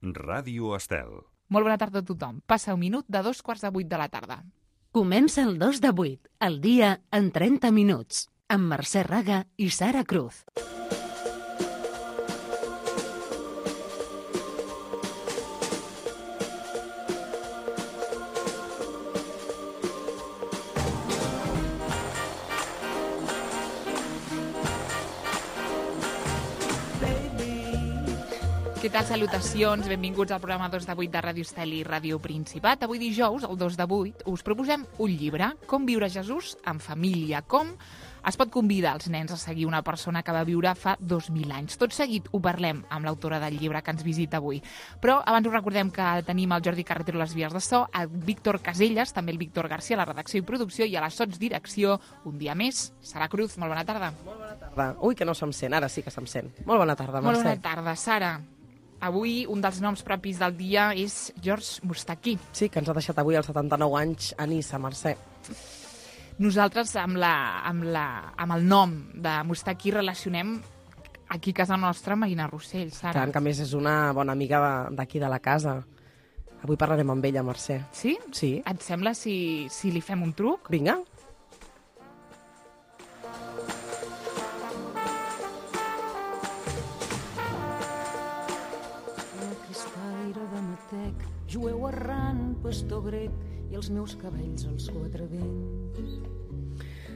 Ràdio Estel. Molt bona tarda a tothom. Passa un minut de 7:45 de la tarda. Comença el 2 de 8, el dia en 30 minuts, amb Mercè Raga i Sara Cruz. Què tal? Salutacions, benvinguts al programa 2 de 8 de Ràdio Estel i Ràdio Principat. Avui dijous, el 2 de 8, us proposem un llibre, Com viure Jesús en família, com es pot convidar els nens a seguir una persona que va viure fa 2.000 anys. Tot seguit ho parlem amb l'autora del llibre que ens visita avui. Però abans us recordem que tenim el Jordi Carretero a les vies de so, el Víctor Caselles, també el Víctor Garcia a la redacció i producció i a la sotsdirecció, un dia més, Sara Cruz. Molt bona tarda. Molt bona tarda. Ui, que no se'm sent, ara sí que se'm sent. Molt bona tarda, Mercè. Molt bona tarda, Sara. Avui un dels noms propis del dia és George Moustaki. Sí, que ens ha deixat avui als 79 anys a Niça, Mercè. Nosaltres amb el nom de Moustaki relacionem aquí a casa nostra Marina Rossell, Sara. Tant, que a més és una bona amiga d'aquí de la casa. Avui parlarem amb ella, Mercè. Sí? Sí. Et sembla si li fem un truc? Vinga. Jueu errant, pastor grec, i els meus cabells als quatre vents.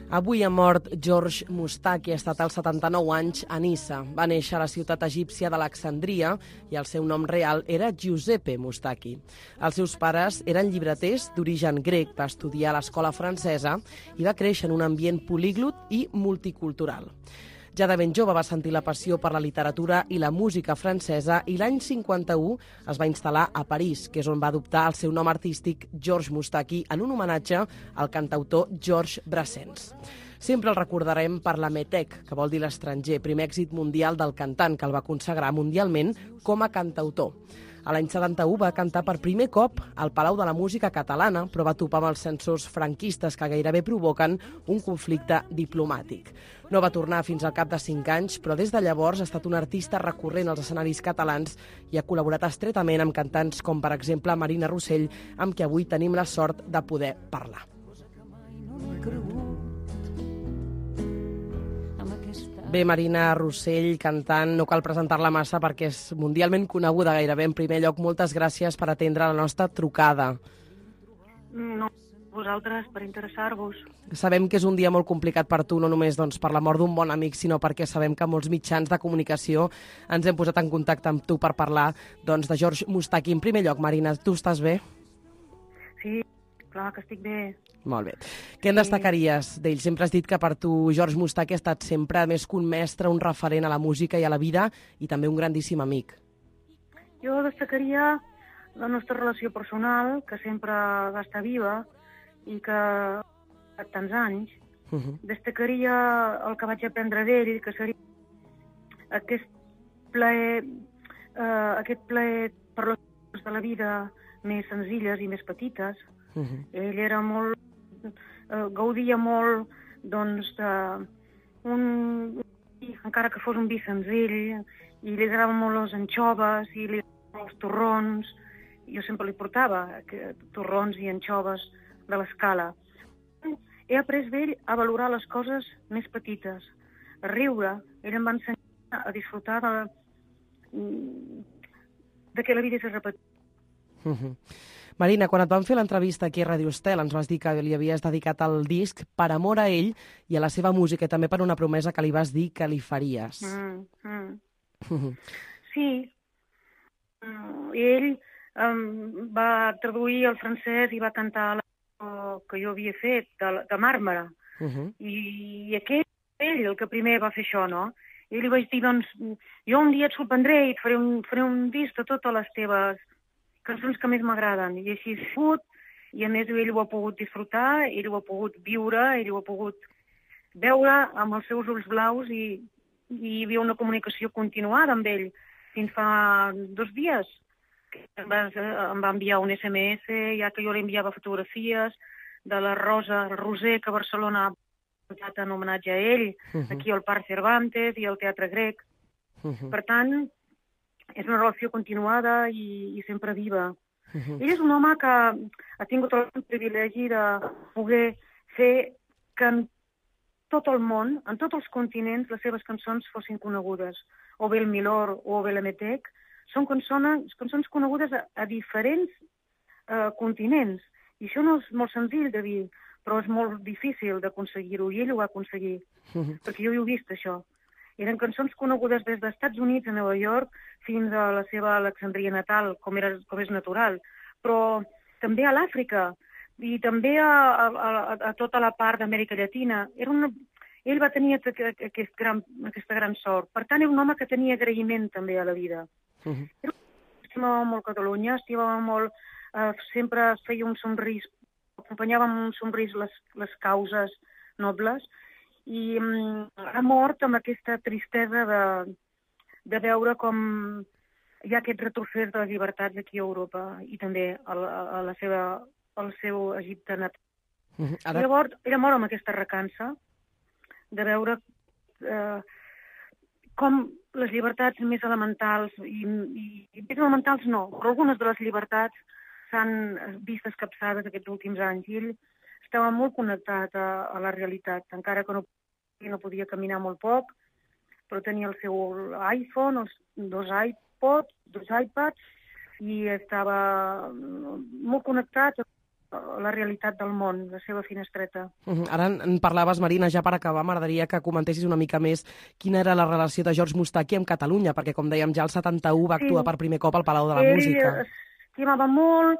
Avui ha mort George Moustaki, ha estat als 79 anys a Niça. Va néixer a la ciutat egípcia d'Alexandria i el seu nom real era Giuseppe Moustaki. Els seus pares eren llibreters d'origen grec, va estudiar a l'escola francesa i va créixer en un ambient políglot i multicultural. Ja de ben jove va sentir la passió per la literatura i la música francesa i l'any 51 es va instal·lar a París, que és on va adoptar el seu nom artístic George Moustaki en un homenatge al cantautor Georges Brassens. Sempre el recordarem per la Métèque, que vol dir l'estranger, primer èxit mundial del cantant, que el va consagrar mundialment com a cantautor. A l'any 71 va cantar per primer cop al Palau de la Música Catalana, però va topar amb els censors franquistes que gairebé provoquen un conflicte diplomàtic. No va tornar fins al cap de 5 anys, però des de llavors ha estat un artista recurrent als escenaris catalans i ha col·laborat estretament amb cantants com, per exemple, Marina Rossell, amb qui avui tenim la sort de poder parlar. Bé, Marina Rossell, cantant, no cal presentar-la massa perquè és mundialment coneguda gairebé. En primer lloc, moltes gràcies per atendre la nostra trucada. No, vosaltres, per interessar-vos. Sabem que és un dia molt complicat per tu, no només per la mort d'un bon amic, sinó perquè sabem que molts mitjans de comunicació ens hem posat en contacte amb tu per parlar de George Moustaki. En primer lloc, Marina, tu estàs bé? Sí, clar que estic bé. Molt bé. Què en destacaries d'ell? Sempre has dit que per tu George Moustaki ha estat sempre més que un mestre, un referent a la música i a la vida i també un grandíssim amic. Jo destacaria la nostra relació personal, que sempre va estar viva i que ha tants anys. Destacaria el que vaig aprendre d'ell, que seria aquest plaer per les coses de la vida més senzilles i més petites. Ell era molt gaudia molt encara que fos un vi senzill, i li agradaven molt les anxoves i li agradaven els torrons. Jo sempre li portava torrons i anxoves de l'escala. He après d'ell a valorar les coses més petites, a riure. Ell em va ensenyar a disfrutar de que la vida és repetida. Marina, quan et vam fer l'entrevista aquí a Ràdio Estel ens vas dir que li havies dedicat el disc per amor a ell i a la seva música i també per una promesa que li vas dir que li faries. Sí. Ell va traduir al francès i va cantar la que jo havia fet, de Màrmara. I aquest ell el que primer va fer això, no? I li vaig dir, jo un dia et sorprendré i et faré un disc de totes les teves cançons que més m'agraden, i així ha sigut, i a més ell ho ha pogut disfrutar, ell ho ha pogut viure, ell ho ha pogut veure amb els seus ulls blaus i hi havia una comunicació continuada amb ell fins fa 2 dies. Em va enviar un SMS, ja que jo li enviava fotografies de la Rosa Roser, que a Barcelona ha posat en homenatge a ell, aquí al Parc Cervantes i al Teatre Grec. Per tant, és una relació continuada i sempre viva. Ell és un home que ha tingut el privilegi de poder fer que en tot el món, en tots els continents, les seves cançons fossin conegudes. O bé el Milor o bé l'Emetec, són cançons conegudes a diferents continents. I això no és molt senzill de dir, però és molt difícil d'aconseguir-ho, i ell ho va aconseguir, perquè jo ho he vist, això. Eren cançons conegudes des dels Estats Units a Nova York fins a la seva Alexandria natal, com és natural, però també a l'Àfrica i també a tota la part d'Amèrica Llatina. Ell va tenir aquesta gran sort. Per tant, era un home que tenia agraïment també a la vida. Estimava molt Catalunya, estimava molt, sempre feia un somrís, acompanyava amb un somrís les causes nobles, i ha mort amb aquesta tristesa de veure com hi ha aquest retrocés de les llibertats aquí a Europa i també al seu Egipte natal. Llavors, era mort amb aquesta recança de veure com les llibertats més elementals, i més elementals no, però algunes de les llibertats s'han vist escapçades aquests últims anys, i ell estava molt connectat a la realitat, encara que no podia caminar molt poc, però tenia el seu iPhone, els 2 iPods, 2 iPads, i estava molt connectat a la realitat del món, la seva finestreta. Ara en parlaves, Marina, ja per acabar, m'agradaria que comentessis una mica més quina era la relació de George Moustaki amb Catalunya, perquè, com dèiem, ja el 71 va actuar per primer cop al Palau de la Música. Ell estimava molt,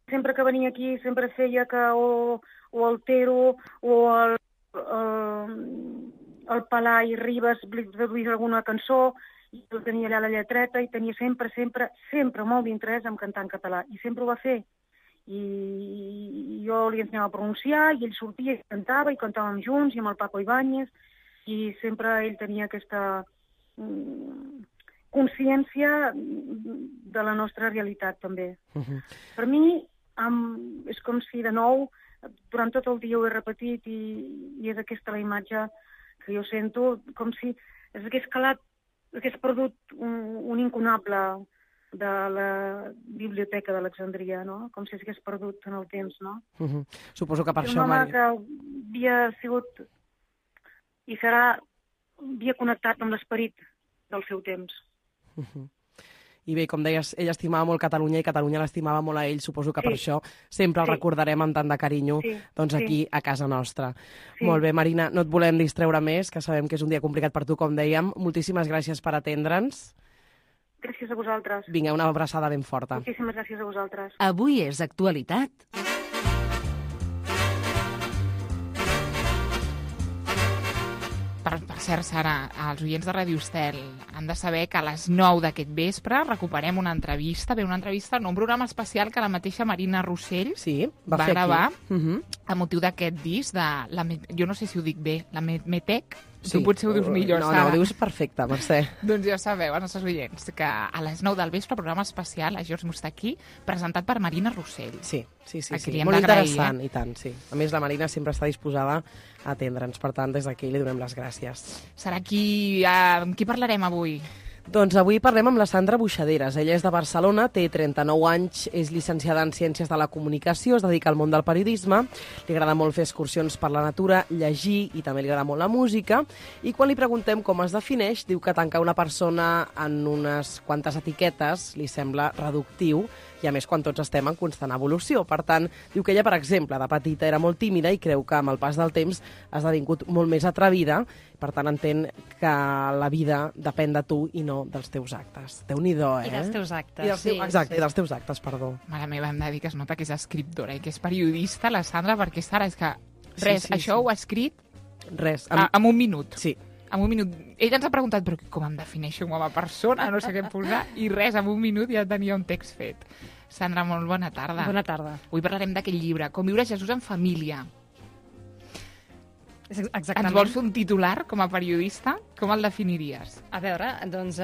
sempre que venia aquí sempre feia que o el Tero o el Palai Ribes li traduís alguna cançó, i el tenia allà la lletreta, i tenia sempre molt d'interès en cantar en català, i sempre ho va fer. I jo li ensenyava a pronunciar, i ell sortia i cantàvem junts, i amb el Paco Ibáñez, i sempre ell tenia aquesta consciència de la nostra realitat, també. Per mi, és com si, de nou, durant tot el dia ho he repetit, i és aquesta la imatge que jo sento, com si hagués perdut un inconable de la biblioteca d'Alexandria, no? Com si s'hagués perdut en el temps, no? Suposo que per això... Un home que havia sigut i havia connectat amb l'esperit del seu temps. I bé, com deies, ell estimava molt Catalunya i Catalunya l'estimava molt a ell. Suposo que per això sempre el recordarem amb tant de carinyo aquí a casa nostra. Molt bé, Marina, no et volem distreure més, que sabem que és un dia complicat per tu, com dèiem. Moltíssimes gràcies per atendre'ns. Gràcies a vosaltres. Vinga, una abraçada ben forta. Moltíssimes gràcies a vosaltres. Avui és actualitat. Per cert, Sara, els oients de Ràdio Estel han de saber que a les 9 d'aquest vespre recuperem una entrevista, un programa especial que la mateixa Marina Rossell va gravar a motiu d'aquest disc de jo no sé si ho dic bé, la Metec. Tu potser ho dius millor, Sara. No, ho dius perfecte, Mercè. Doncs ja sabeu, els nostres oients, que a les 9 del vespre, programa especial a George Moustaki, presentat per Marina Rossell. Sí. Molt interessant, i tant, sí. A més, la Marina sempre està disposada a atendre'ns, per tant, des d'aquí li donem les gràcies. Sara, amb qui parlarem avui? Doncs avui parlem amb la Sandra Buixaderes. Ella és de Barcelona, té 39 anys, és llicenciada en Ciències de la Comunicació, es dedica al món del periodisme, li agrada molt fer excursions per la natura, llegir, i també li agrada molt la música, i quan li preguntem com es defineix, diu que tancar una persona en unes quantes etiquetes li sembla reductiu, i a més quan tots estem en constant evolució. Per tant, diu que ella, per exemple, de petita era molt tímida i creu que amb el pas del temps ha esdevingut molt més atrevida, per tant entén que la vida depèn de tu i no dels teus actes. Déu-n'hi-do, I dels teus actes. I dels teus actes, perdó. Mare meva, hem de dir que es nota que és escriptora i que és periodista, la Sandra, perquè, Sara, és que això ho ha escrit en un minut. Sí. En un minut. Ella ens ha preguntat, però com em defineixo com a persona? No sé què posar. I res, en un minut ja tenia un text fet. Sandra, molt bona tarda. Bona tarda. Avui parlarem d'aquest llibre, Com viure Jesús en família. Exactament. Ens vols fer un titular com a periodista? Com el definiries? A veure, doncs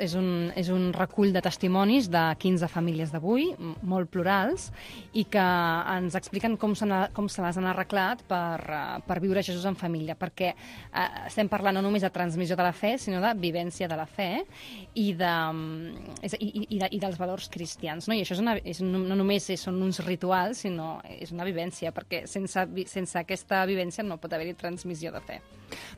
és un recull de testimonis de 15 famílies d'avui, molt plurals, i que ens expliquen com se les han arreglat per viure Jesús en família, perquè estem parlant no només de transmissió de la fe, sinó de vivència de la fe i dels valors cristians. No? I això no només són uns rituals, sinó és una vivència, perquè sense aquesta vivència no pot haver-hi transmissió de fe.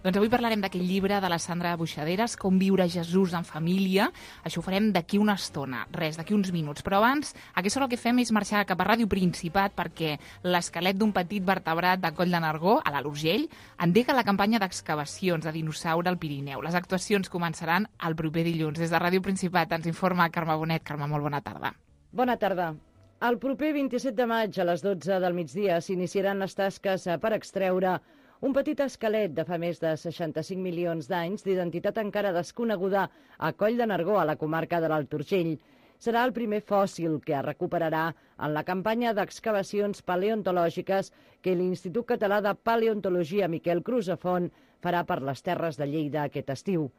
Doncs avui parlarem d'aquest llibre de la Sandra Buixaderes, Com viure Jesús en família. Això ho farem d'aquí una estona, d'aquí uns minuts. Però abans, a aquesta hora el que fem és marxar cap a Ràdio Principat perquè l'esquelet d'un petit vertebrat de Coll de Nargó, a l'Alt Urgell, endega la campanya d'excavacions de dinosaure al Pirineu. Les actuacions començaran el proper dilluns. Des de Ràdio Principat ens informa Carme Bonet. Carme, molt bona tarda. Bona tarda. El proper 27 de maig a les 12 del migdia s'iniciaran les tasques per extreure un petit esquelet de fa més de 65 milions d'anys d'identitat encara desconeguda a Coll de Nargó, a la comarca de l'Alt Urgell. Serà el primer fòssil que es recuperarà en la campanya d'excavacions paleontològiques que l'Institut Català de Paleontologia Miquel Crusafont farà per les Terres de Lleida aquest estiu.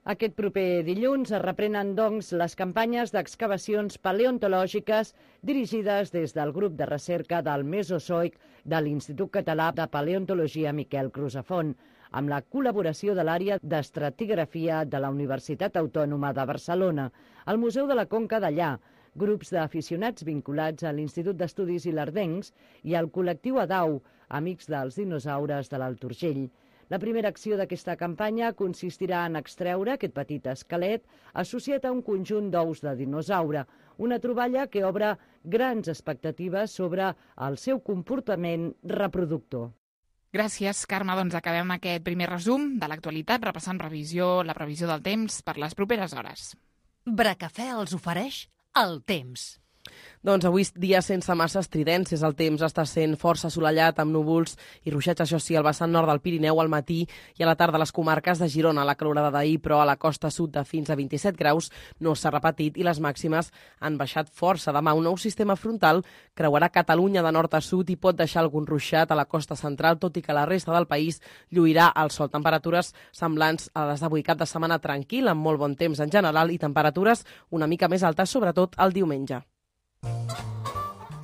Aquest proper dilluns es reprenen, doncs, les campanyes d'excavacions paleontològiques dirigides des del grup de recerca del Mesozoic de l'Institut Català de Paleontologia Miquel Crusafont, amb la col·laboració de l'àrea d'estratigrafia de la Universitat Autònoma de Barcelona, el Museu de la Conca d'Allà, grups d'aficionats vinculats a l'Institut d'Estudis Ilerdencs i al col·lectiu ADAU, Amics dels Dinosaures de l'Alt Urgell. La primera acció d'aquesta campanya consistirà en extreure aquest petit esquelet associat a un conjunt d'ous de dinosaure, una troballa que obre grans expectatives sobre el seu comportament reproductor. Gràcies, Carme. Doncs acabem aquest primer resum de l'actualitat, repassant la previsió del temps per les properes hores. Bracafè els ofereix el temps. Doncs avui dia sense massa estridències. El temps està sent força assolellat amb núvols i ruixats, això sí, al vessant nord del Pirineu al matí i a la tarda a les comarques de Girona. La calorada d'ahir, però a la costa sud de fins a 27 graus no s'ha repetit i les màximes han baixat força. Demà un nou sistema frontal creuarà Catalunya de nord a sud i pot deixar algun ruixat a la costa central, tot i que la resta del país lluirà al sol. Temperatures semblants a les d'avui, cap de setmana tranquil, amb molt bon temps en general i temperatures una mica més altes, sobretot el diumenge.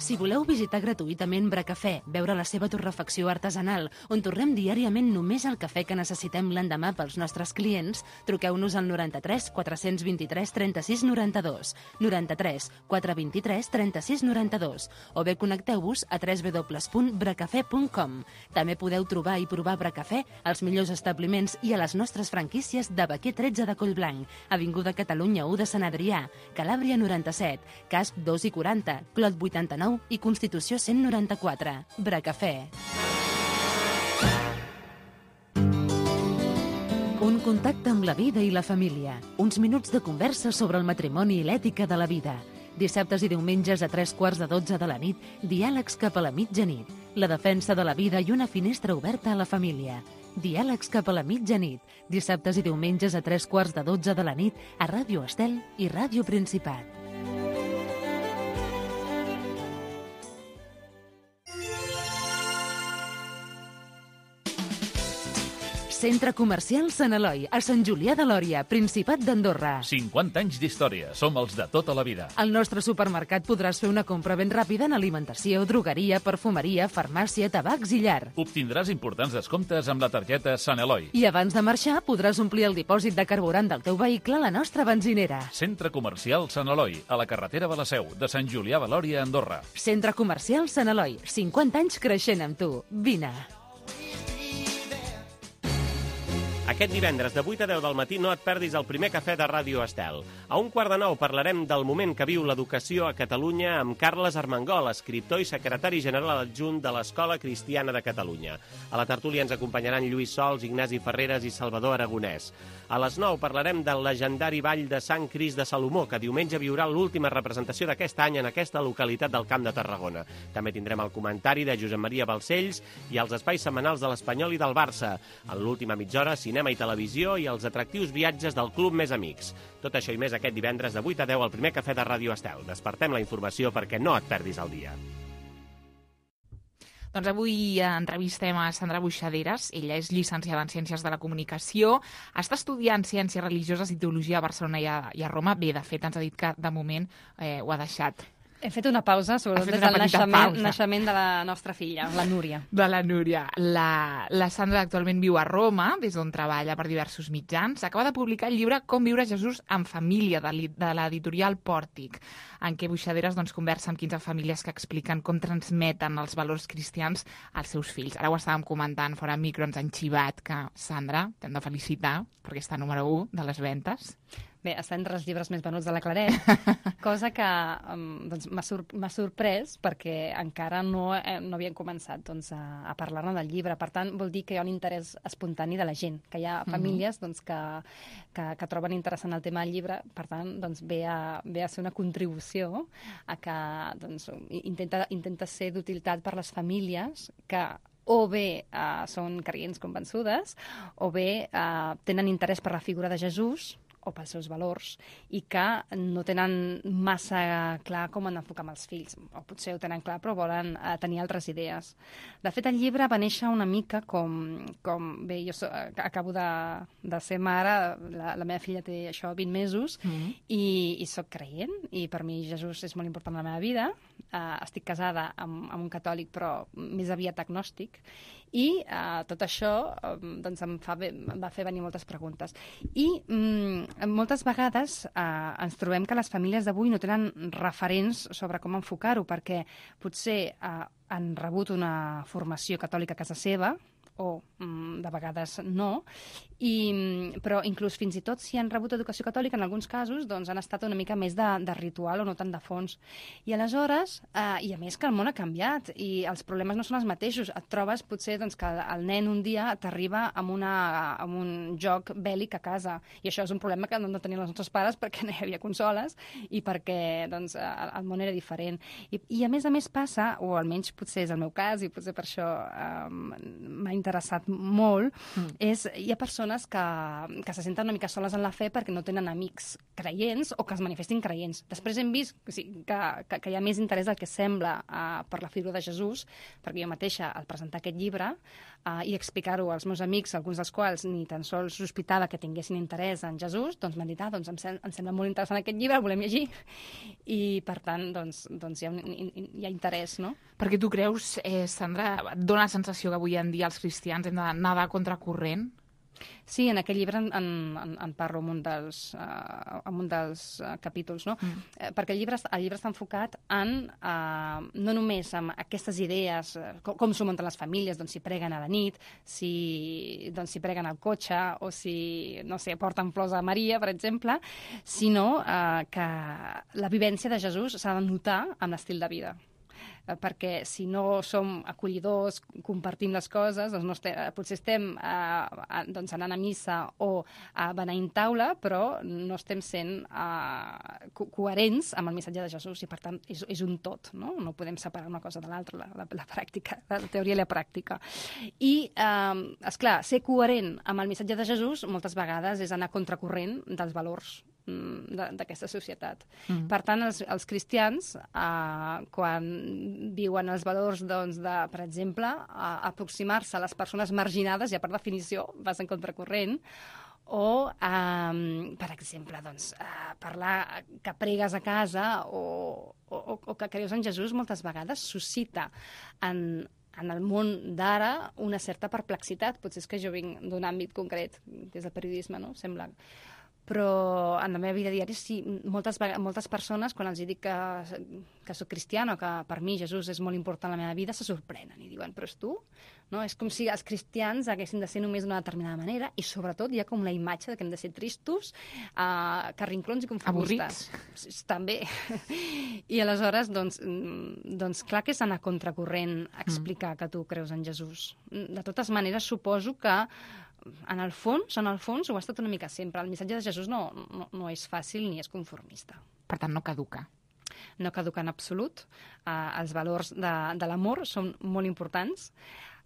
Si voleu visitar gratuïtament Bracafè, veure la seva torrefacció artesanal, on torrem diàriament només el cafè que necessitem l'endemà pels nostres clients, truqueu-nos al 93 423 36 92, 93 423 36 92, o bé connecteu-vos a www.bracafè.com. També podeu trobar i provar Bracafè als millors establiments i a les nostres franquícies de Baquer 13 de Collblanc, Avinguda Catalunya 1 de Sant Adrià, Calàbria 97, Casp 2 i 40, Clot 89 i Constitució 194. Bracafè. Un contacte amb la vida i la família. Uns minuts de conversa sobre el matrimoni i l'ètica de la vida. Dissabtes i diumenges a 11:45 de la nit, diàlegs cap a la mitjanit. La defensa de la vida i una finestra oberta a la família. Diàlegs cap a la mitjanit. Dissabtes i diumenges a 11:45 de la nit a Ràdio Estel i Ràdio Principat. Centre Comercial Sant Eloi, a Sant Julià de Lòria, Principat d'Andorra. 50 anys d'història. Som els de tota la vida. Al nostre supermercat podràs fer una compra ben ràpida en alimentació, drogueria, perfumeria, farmàcia, tabacs i llar. Obtindràs importants descomptes amb la targeta Sant Eloi. I abans de marxar podràs omplir el dipòsit de carburant del teu vehicle a la nostra benzinera. Centre Comercial Sant Eloi, a la carretera de la Seu, de Sant Julià de Lòria, Andorra. Centre Comercial Sant Eloi, 50 anys creixent amb tu. Vine. Aquest divendres de 8 a 10 del matí no et perdis el primer cafè de Ràdio Estel. A 1:15 parlarem del moment que viu l'educació a Catalunya amb Carles Armengol, escriptor i secretari general adjunt de l'Escola Cristiana de Catalunya. A la tertúlia ens acompanyaran Lluís Sols, Ignasi Ferreres i Salvador Aragonès. A les 9 parlarem del legendari Ball de Sant Crist de Salomó, que diumenge viurà l'última representació d'aquest any en aquesta localitat del Camp de Tarragona. També tindrem el comentari de Josep Maria Balcells i els espais setmanals de l'Espanyol i del Barça. En l'última mitja hora, cinema i televisió i els atractius viatges del Club Més Amics. Tot això i més aquest divendres de 8 a 10 al primer cafè de Ràdio Estel. Despertem la informació perquè no et perdis el dia. Doncs avui entrevistem a Sandra Buixaderas. Ella és llicenciada en Ciències de la Comunicació, està estudiant Ciències Religioses i Teologia a Barcelona i a Roma. Bé, de fet, ens ha dit que de moment ho ha deixat. Hem fet una pausa, sobretot des del naixement de la nostra filla, la Núria. De la Núria. La Sandra actualment viu a Roma, des d'on treballa per diversos mitjans. Acaba de publicar el llibre Com viure Jesús en família, de l'editorial Pòrtic, en què Buixaderas conversa amb 15 famílies que expliquen com transmeten els valors cristians als seus fills. Ara ho estàvem comentant fora micro, ens han xivat que, Sandra, t'hem de felicitar perquè està número 1 de les ventes. Bé, està entre els llibres més venuts de la Claret, cosa que m'ha sorprès perquè encara no havien començat a parlar-ne del llibre. Per tant, vol dir que hi ha un interès espontani de la gent, que hi ha famílies que troben interessant el tema del llibre. Per tant, ve a ser una contribució a que intenta ser d'utilitat per les famílies que o bé són creients convençudes o bé tenen interès per la figura de Jesús o pels seus valors, i que no tenen massa clar com han d'enfocar amb els fills. O potser ho tenen clar, però volen tenir altres idees. De fet, el llibre va néixer una mica bé, jo acabo de ser mare, la meva filla té 20 mesos, i soc creient, i per mi Jesús és molt important en la meva vida. Estic casada amb un catòlic, però més aviat agnòstic, i tot això em va fer venir moltes preguntes. I moltes vegades ens trobem que les famílies d'avui no tenen referents sobre com enfocar-ho, perquè potser han rebut una formació catòlica a casa seva, o de vegades no, però inclús fins i tot si han rebut educació catòlica, en alguns casos han estat una mica més de ritual o no tant de fons. I aleshores, i a més que el món ha canviat i els problemes no són els mateixos, et trobes potser que el nen un dia t'arriba amb un joc bèl·lic a casa, i això és un problema que no tenien els nostres pares perquè no hi havia consoles i perquè el món era diferent. I a més passa, o almenys potser és el meu cas, i potser per això m'ha interessat molt, hi ha persones que se senten una mica soles en la fe perquè no tenen amics creients o que es manifestin creients. Després hem vist que hi ha més interès del que sembla per la figura de Jesús, perquè jo mateixa, al presentar aquest llibre i explicar-ho als meus amics, alguns dels quals ni tan sols sospitava que tinguessin interès en Jesús, m'han dit, em sembla molt interessant aquest llibre, el volem llegir. I, per tant, hi ha interès, no? Perquè tu creus, Sandra, et dona la sensació que avui en dia els cristians hem de nedar contra corrent? Sí, en aquest llibre en parlo en un dels capítols, no? Perquè el llibre està enfocat no només en aquestes idees, com s'ho munten les famílies, si preguen a la nit, si preguen al cotxe, o si, no sé, porten flors a Maria, per exemple, sinó que la vivència de Jesús s'ha de notar amb l'estil de vida. Perquè si no som acollidors, compartim les coses, potser estem anant a missa o beneint taula, però no estem sent coherents amb el missatge de Jesús, i per tant és un tot, no? No podem separar una cosa de l'altra, la pràctica, la teoria i la pràctica. I, esclar, ser coherent amb el missatge de Jesús moltes vegades és anar contracorrent dels valors d'aquesta societat. Per tant, els cristians, quan viuen els valors per exemple, aproximar-se a les persones marginades, ja per definició vas en contracorrent, o, per exemple, parlar que pregues a casa o que creus en Jesús moltes vegades suscita en el món d'ara una certa perplexitat. Potser és que jo vinc d'un àmbit concret, des del periodisme, no? Sembla. Però en la meva vida diària, sí, moltes persones, quan els dic que soc cristiana o que per mi Jesús és molt important en la meva vida, se sorprenen i diuen, però és tu? No? És com si els cristians haguessin de ser només d'una determinada manera, i sobretot hi ha com la imatge que hem de ser tristos, carrinclons i conformistes. Avorrits. També. I aleshores, clar que és anar contracorrent explicar que tu creus en Jesús. De totes maneres, suposo que en el fons ho ha estat una mica sempre. El missatge de Jesús no és fàcil ni és conformista. Per tant, no caduca. No caduca en absolut. Els valors de l'amor són molt importants.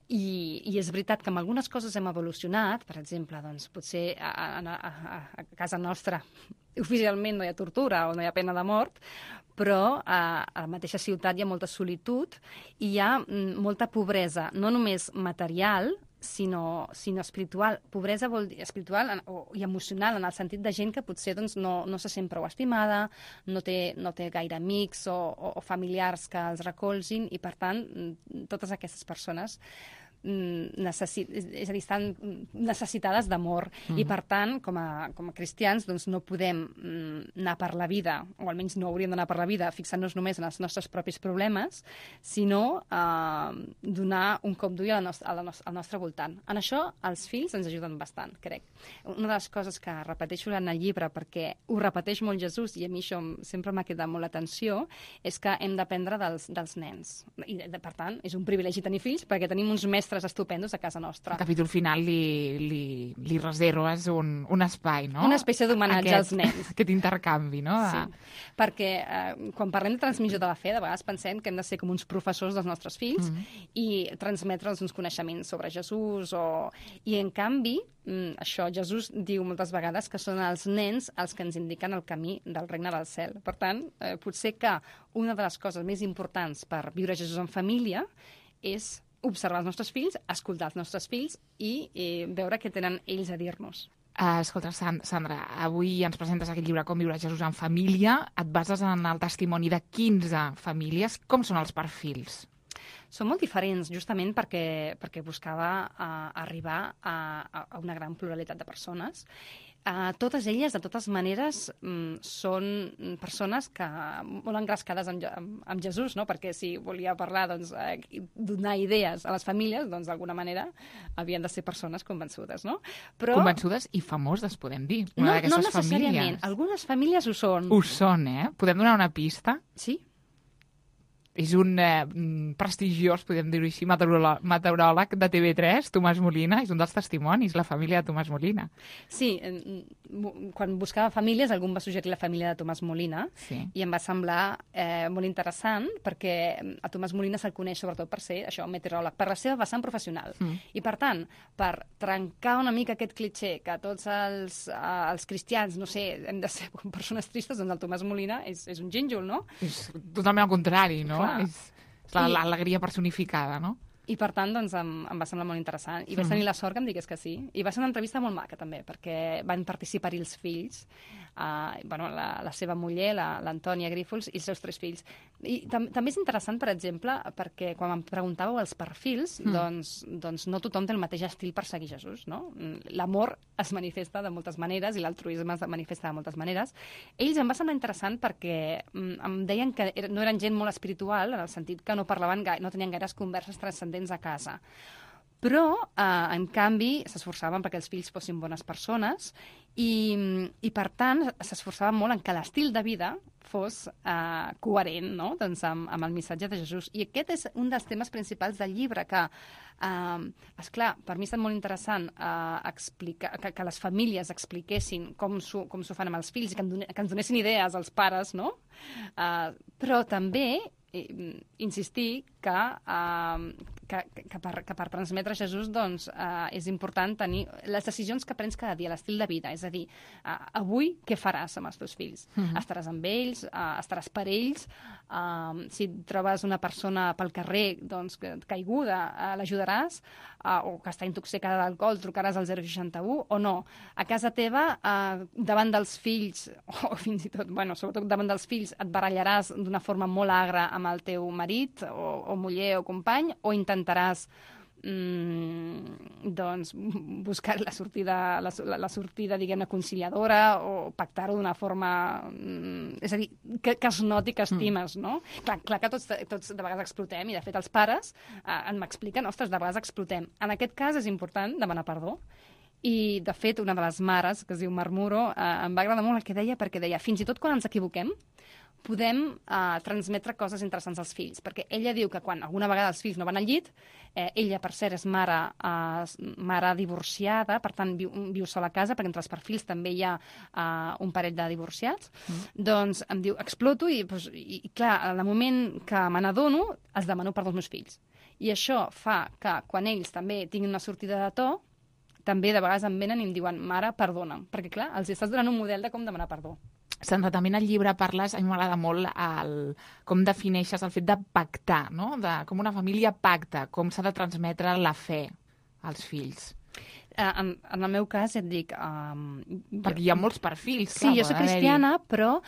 I és veritat que amb algunes coses hem evolucionat. Per exemple, potser a casa nostra oficialment no hi ha tortura o no hi ha pena de mort, però a la mateixa ciutat hi ha molta solitud i hi ha molta pobresa, no només material, sinó espiritual. Pobresa vol dir espiritual i emocional, en el sentit de gent que potser doncs, no se sent prou estimada, no té gaire amics o familiars que els recolzin, i per tant totes aquestes persones estan necessitades d'amor. I per tant, com a cristians, doncs no podem anar per la vida, o almenys no hauríem d'anar per la vida fixant-nos només en els nostres propis problemes, sinó donar un cop d'ull al nostre voltant. En això els fills ens ajuden bastant, crec. Una de les coses que repeteixo en el llibre, perquè ho repeteix molt Jesús, i a mi això sempre m'ha quedat molt l'atenció, és que hem d'aprendre dels nens. I, per tant, és un privilegi tenir fills, perquè tenim uns mestres estupendos a casa nostra. Al capítol final li reserves un espai, no? Una espècie d'homenatge als nens. Aquest intercanvi, no? Sí, perquè quan parlem de transmissió de la fe, de vegades pensem que hem de ser com uns professors dels nostres fills i transmetre'ls uns coneixements sobre Jesús. I, en canvi, això Jesús diu moltes vegades que són els nens els que ens indiquen el camí del regne del cel. Per tant, potser que una de les coses més importants per viure Jesús en família és observar els nostres fills, escoltar els nostres fills i veure què tenen ells a dir-nos. Escolta, Sandra, avui ens presentes aquest llibre Com viure Jesús en família. Et bases en el testimoni de 15 famílies. Com són els perfils? Són molt diferents, justament perquè buscava arribar a una gran pluralitat de persones. Totes elles, de totes maneres, són persones que molt engrescades amb Jesús, no? Perquè si volia parlar, doncs, donar idees a les famílies, doncs, d'alguna manera, havien de ser persones convençudes, no? Però... Convençudes i famoses, podem dir. No necessàriament. Algunes famílies ho són. Ho són, eh? Podem donar una pista? Sí. És un prestigiós, podem dir-ho així, meteoròleg de TV3, Tomàs Molina, és un dels testimonis, la família de Tomàs Molina. Sí, quan buscava famílies, algú em va suggerir la família de Tomàs Molina, i em va semblar molt interessant, perquè a Tomàs Molina se'l coneix sobretot per ser això, meteoròleg, per la seva vessant professional. I per tant, per trencar una mica aquest clitxé que tots els cristians, no sé, hem de ser persones tristes, doncs el Tomàs Molina és un gínjol, no? És totalment al contrari, no? És l'alegria personificada, no? I per tant, doncs, em va semblar molt interessant. I vaig tenir la sort que em digués que sí. I va ser una entrevista molt maca, també, perquè van participar-hi els fills, la seva muller, l'Antònia Grífols, i els seus 3 fills. I també és interessant, per exemple, perquè quan em preguntàveu els perfils, doncs no tothom té el mateix estil per seguir Jesús, no? L'amor es manifesta de moltes maneres i l'altruisme es manifesta de moltes maneres. Ells em va semblar interessant perquè em deien que no eren gent molt espiritual, en el sentit que no parlaven no tenien gaires converses transcendents a casa. Però, en canvi, s'esforçaven perquè els fills fossin bones persones i per tant, s'esforçaven molt en que l'estil de vida fos coherent, no? Doncs amb el missatge de Jesús. I aquest és un dels temes principals del llibre, que, esclar, per mi ha estat molt interessant explicar, que les famílies expliquessin com s'ho fan amb els fills i que ens donessin idees als pares, no? Però també insistir que per transmetre Jesús doncs, és important tenir les decisions que prens cada dia, l'estil de vida. És a dir, avui què faràs amb els teus fills? Estaràs amb ells? Estaràs per ells? Si trobes una persona pel carrer doncs, caiguda, l'ajudaràs? O que està intoxicada d'alcohol, trucaràs al 061 o no? A casa teva, davant dels fills, o fins i tot, sobretot davant dels fills, et barallaràs d'una forma molt agra amb el teu marit o muller o company, o intentaràs doncs buscar la sortida diguem-ne, conciliadora, o pactar-ho d'una forma... és a dir, que es noti que estimes, no? Clar que tots de vegades explotem, i de fet els pares m'expliquen, ostres, de vegades explotem. En aquest cas és important demanar perdó. I, de fet, una de les mares, que es diu Marmuro, em va agradar molt el que deia, perquè deia, fins i tot quan ens equivoquem, podem transmetre coses interessants als fills, perquè ella diu que quan alguna vegada els fills no van al llit, ella, per cert, és mare divorciada, per tant, viu sola a casa, perquè entre els perfils també hi ha un parell de divorciats, doncs em diu, exploto, i clar, en el moment que me n'adono, els demano perdó als meus fills. I això fa que, quan ells també tinguin una sortida de to, també de vegades em venen i em diuen, mare, perdona, perquè clar, els estàs donant un model de com demanar perdó. Sandra, també en el llibre parles, a mi m'agrada molt com defineixes el fet de pactar, no? Com una família pacta, com s'ha de transmetre la fe als fills. En el meu cas, et dic... Perquè hi ha molts perfils. Sí, jo soc cristiana, però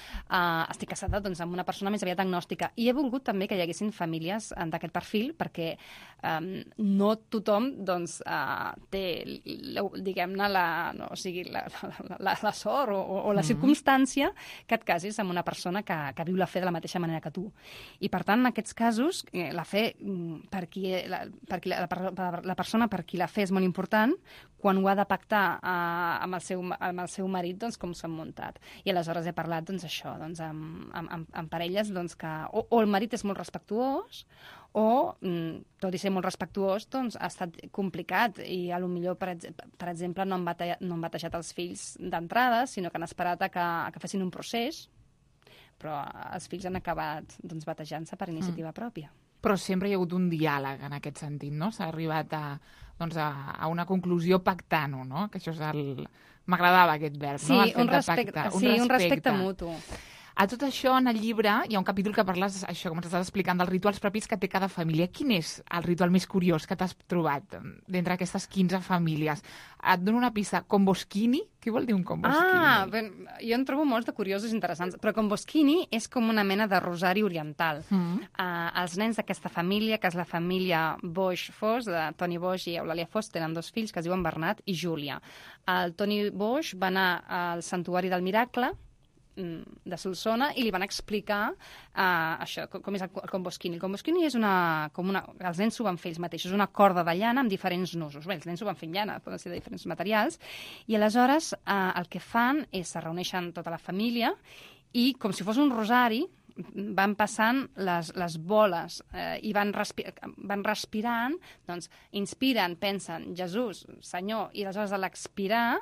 estic casada amb una persona més aviat agnòstica. I he volgut també que hi haguessin famílies d'aquest perfil, perquè no tothom té, diguem-ne, la sort o la circumstància que et casis amb una persona que viu la fe de la mateixa manera que tu. I, per tant, en aquests casos, la fe, la persona per qui la fe és molt important, quan ho ha de pactar amb el seu marit, doncs, com s'han muntat. I aleshores he parlat, doncs, això, doncs, amb parelles que o el marit és molt respectuós o, tot i ser molt respectuós, doncs, ha estat complicat i potser, per exemple, no han batejat els fills d'entrada, sinó que han esperat que fessin un procés, però els fills han acabat batejant-se per iniciativa pròpia. Però sempre hi ha hagut un diàleg en aquest sentit, no? S'ha arribat a una conclusió pactant-ho, no? Que això és m'agradava aquest verb, no? Sí, un respecte mutu. A tot això, en el llibre, hi ha un capítol que parles, això, com ens estàs explicant, dels rituals propis que té cada família. Quin és el ritual més curiós que t'has trobat d'entre aquestes 15 famílies? Et dono una pista. Komboskini? Què vol dir un komboskini? Jo en trobo molts de curiosos i interessants, però komboskini és com una mena de rosari oriental. Els nens d'aquesta família, que és la família Boix-Fos, de Toni Boix i Eulàlia Fos, tenen 2 fills que es diuen Bernat i Júlia. El Toni Boix va anar al Santuari del Miracle, de Solsona, i li van explicar això, com és el komboskini. El komboskini és els nens s'ho van fer ells mateixos, una corda de llana amb diferents nusos. Bé, els nens s'ho van fer en llana, poden ser de diferents materials, i aleshores el que fan és se reuneixen tota la família i, com si fos un rosari, van passant les boles i van respirant, doncs inspiren, pensen, Jesús, Senyor, i aleshores a l'expirar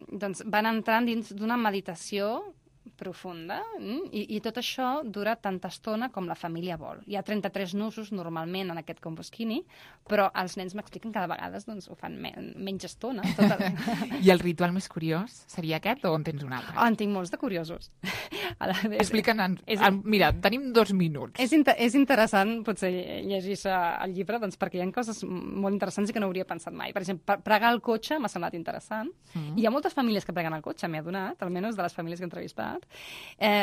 doncs van entrant dins d'una meditació profunda i tot això dura tanta estona com la família vol. Hi ha 33 nusos normalment en aquest komboskini, però els nens m'expliquen que de vegades doncs, ho fan menys estona. I el ritual més curiós seria aquest o en tens un altre? En tinc molts de curiosos. Explica'ns. Mira, tenim 2 minuts. És interessant potser llegir-se el llibre doncs, perquè hi ha coses molt interessants i que no hauria pensat mai. Per exemple, pregar el cotxe m'ha semblat interessant. Hi ha moltes famílies que preguen el cotxe, m'he adonat, almenys de les famílies que he entrevistat.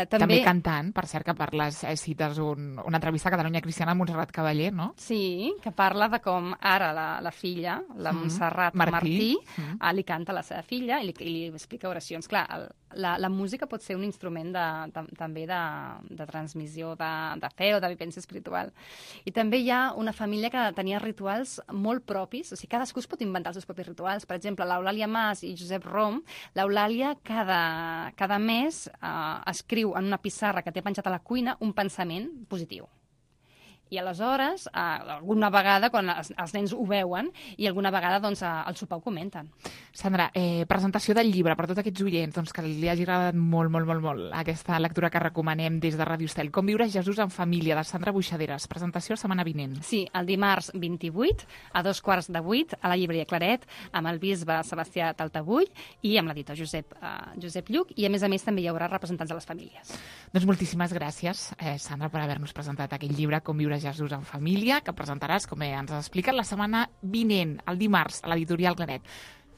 També cantant, per cert, que parles, cites una entrevista a Catalunya Cristiana amb Montserrat Cavaller, no? Sí, que parla de com ara la filla, la Montserrat Martí, li canta a la seva filla i li explica oracions. Clar, la música pot ser un instrument també de transmissió de fe o de vivència espiritual. I també hi ha una família que tenia rituals molt propis, o sigui, cadascú es pot inventar els seus propis rituals. Per exemple, l'Eulàlia Mas i Josep Rom, l'Eulàlia cada mes escriu en una pissarra que té penjat a la cuina un pensament positiu. I aleshores, alguna vegada, quan els nens ho veuen, i alguna vegada doncs, al sopar ho comenten. Sandra, presentació del llibre per tots aquests oients doncs, que li hagi agradat molt aquesta lectura que recomanem des de Ràdio Estel. Com viure Jesús en família, de Sandra Buixaderes. Presentació setmana vinent. Sí, el dimarts 28, a 7:15, a la llibreria Claret, amb el bisbe Sebastià Taltabull i amb l'editor Josep Lluc, i a més també hi haurà representants de les famílies. Doncs moltíssimes gràcies, Sandra, per haver-nos presentat aquest llibre, Com viure Jesús en família, que presentaràs, com ens has explicat, la setmana vinent, el dimarts, a l'editorial Claret.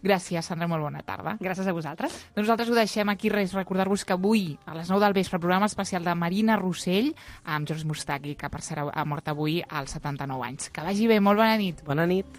Gràcies, Sandra, molt bona tarda. Gràcies a vosaltres. Doncs nosaltres ho deixem aquí, recordar-vos que avui, a les 9 del vespre, programa especial de Marina Rossell, amb George Moustaki, que per cert ha mort avui als 79 anys. Que vagi bé, molt bona nit. Bona nit.